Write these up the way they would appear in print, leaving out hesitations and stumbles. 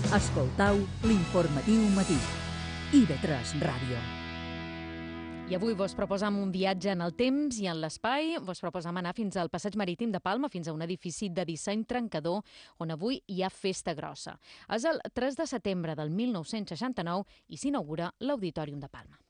Escoltau l'informatiu matí. IB3 Ràdio. I avui vos proposam un viatge en el temps i en l'espai. Vos proposam anar fins al Passeig Marítim de Palma, fins a un edifici de disseny trencador, on avui hi ha festa grossa. És el 3 de setembre del 1969 i s'inaugura l'Auditorium de Palma.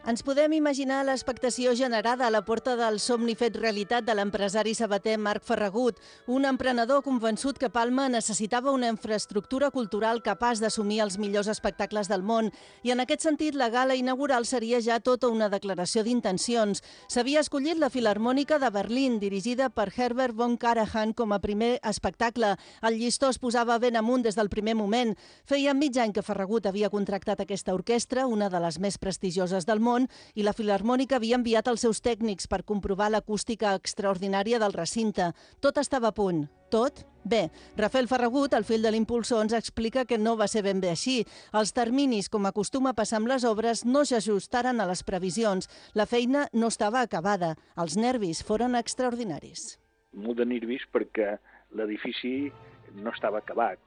Ens podem imaginar l'expectació generada a la porta del somni fet realitat de l'empresari sabater Marc Ferragut, un emprenedor convençut que Palma necessitava una infraestructura cultural capaç d'assumir els millors espectacles del món, i en aquest sentit la gala inaugural seria ja tota una declaració d'intencions. S'havia escollit la Filharmònica de Berlín, dirigida per Herbert von Karajan com a primer espectacle. El llistó es posava ben amunt des del primer moment. Feia mig any que Ferragut havia contractat aquesta orquestra, una de les més prestigioses del món, i la Filharmònica havia enviat els seus tècnics per comprovar l'acústica extraordinària del recinte. Tot estava a punt. Tot? Bé, Rafael Ferragut, el fill de l'impulsor, ens explica que no va ser ben bé així. Els terminis, com acostuma a passar amb les obres, no s'ajustaren a les previsions. La feina no estava acabada. Els nervis foren extraordinaris. Molt de nervis perquè l'edifici no estava acabat.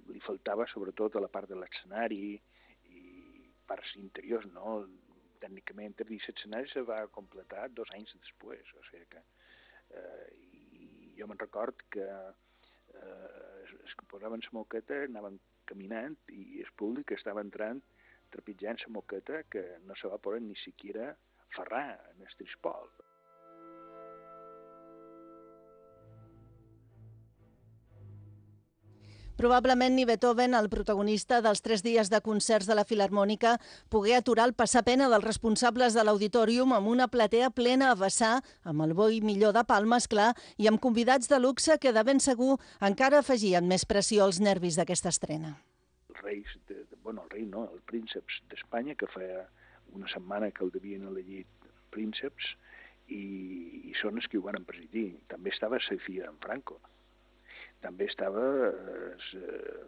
Li faltava sobretot a la part de l'escenari i parts interiors, no? Tècnicament, el escenari se va completar 2 anys després. O sigui que, jo me'n record que es posaven la moqueta, anaven caminant i el públic estava entrant trepitjant la moqueta que no se va poder ni siquiera ferrar en el trispol. Probablement ni Beethoven, el protagonista dels 3 dies de concerts de la Filharmònica, pogué aturar el passapena dels responsables de l'Auditorium amb una platea plena a vessar, amb el bo i millor de Palma, esclar, i amb convidats de luxe que de ben segur encara afegien més pressió als nervis d'aquesta estrena. Els reis, el rei no, els prínceps d'Espanya, que feia una setmana que el devien elegir prínceps, i són els que ho van presidir. També estava la filla d'en Franco. També estava el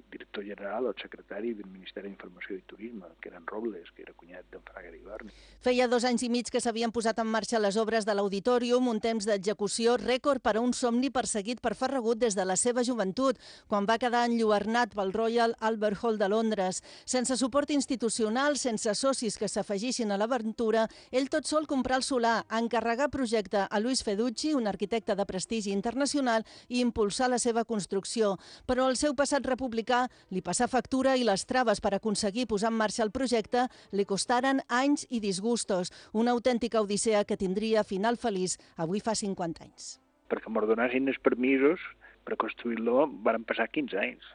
director general o el secretari del Ministeri d'Informació i Turisme, que era en Robles, que era cunyat d'en Fraga d'Ibarni. Feia 2 anys i mig que s'havien posat en marxa les obres de l'Auditorium, un temps d'execució rècord per a un somni perseguit per Ferragut des de la seva joventut, quan va quedar enlluernat pel Royal Albert Hall de Londres. Sense suport institucional, sense socis que s'afegissin a l'aventura, ell tot sol comprà el solar, encarregar projecte a Luis Feducci, un arquitecte de prestigi internacional, i impulsar la seva construcció. Però el seu passat republicà li passà factura i les traves per aconseguir posar en marxa el projecte li costaren anys i disgustos, una autèntica odissea que tindria final feliç avui fa 50 anys. Perquè m'ho donassin els permisos per construir-lo van passar 15 anys.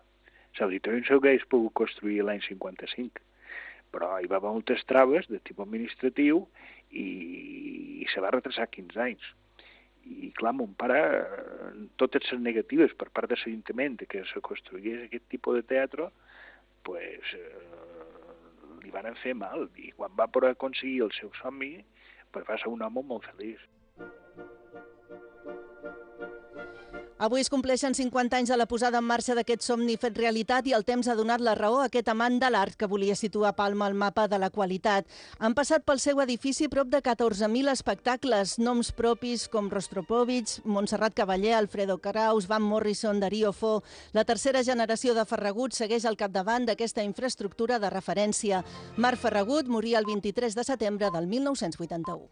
L'auditorium s'hauria pogut construir l'any 55, però hi va haver moltes traves de tipus administratiu i se va retrasar 15 anys. I clar, mon pare, totes les negatives per part de l'Ajuntament que se construís aquest tipus de teatre, li van fer mal. I quan va poder aconseguir el seu somni, va ser un home molt feliç. Avui es compleixen 50 anys de la posada en marxa d'aquest somni fet realitat i el temps ha donat la raó a aquest amant de l'art que volia situar Palma al mapa de la qualitat. Han passat pel seu edifici prop de 14.000 espectacles, noms propis com Rostropovich, Montserrat Cavaller, Alfredo Kraus, Van Morrison, Darío Fo. La tercera generació de Ferragut segueix al capdavant d'aquesta infraestructura de referència. Marc Ferragut moria el 23 de setembre del 1981.